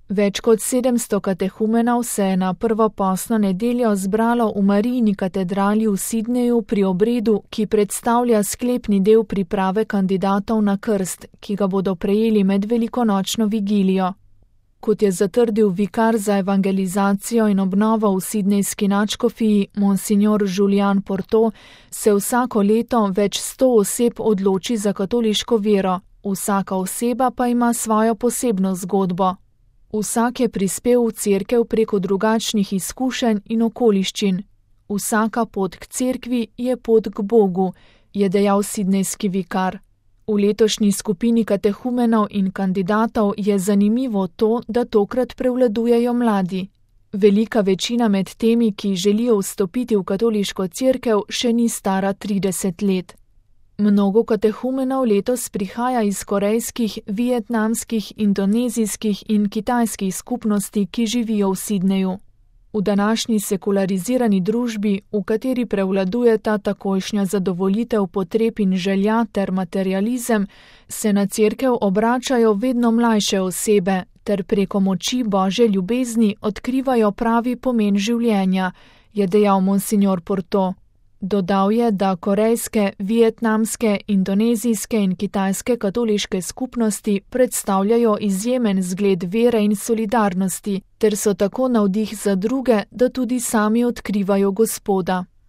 Več kot 700 katehumenov se je na prvo postno nedeljo zbralo v Marijini katedrali v Sydneyju pri obredu, ki predstavlja sklepni del priprave kandidatov na krst, ki ga bodo prejeli med velikonočno vigilijo. Kot je zatrdil vikar za evangelizacijo in obnovo v sydneyski nadškofiji monsignor Julian Porto, se vsako leto več 100 oseb odloči za katoliško vero, vsaka oseba pa ima svojo posebno zgodbo. Vsak je prispel v cerkev preko drugačnih izkušenj in okoliščin. Vsaka pot k cerkvi je pot k Bogu, je dejal sydneyski vikar. V letošnji skupini katehumenov in kandidatov je zanimivo to, da tokrat prevladujejo mladi. Velika večina med temi, ki želijo vstopiti v katoliško cerkev, še ni stara 30 let. Mnogo katehumenov letos prihaja iz korejskih, vietnamskih, indonezijskih in kitajskih skupnosti, ki živijo v Sydneyju. V današnji sekularizirani družbi, v kateri prevladujeta takojšnja zadovoljitev potreb in želja ter materializem, se na cerkev obračajo vedno mlajše osebe ter preko moči Božje ljubezni odkrivajo pravi pomen življenja, je dejal monsignor Porto. Dodal je, da korejske, vietnamske, indonezijske in kitajske katoliške skupnosti predstavljajo izjemen zgled vere in solidarnosti, ter so tako navdih za druge, da tudi sami odkrivajo Gospoda.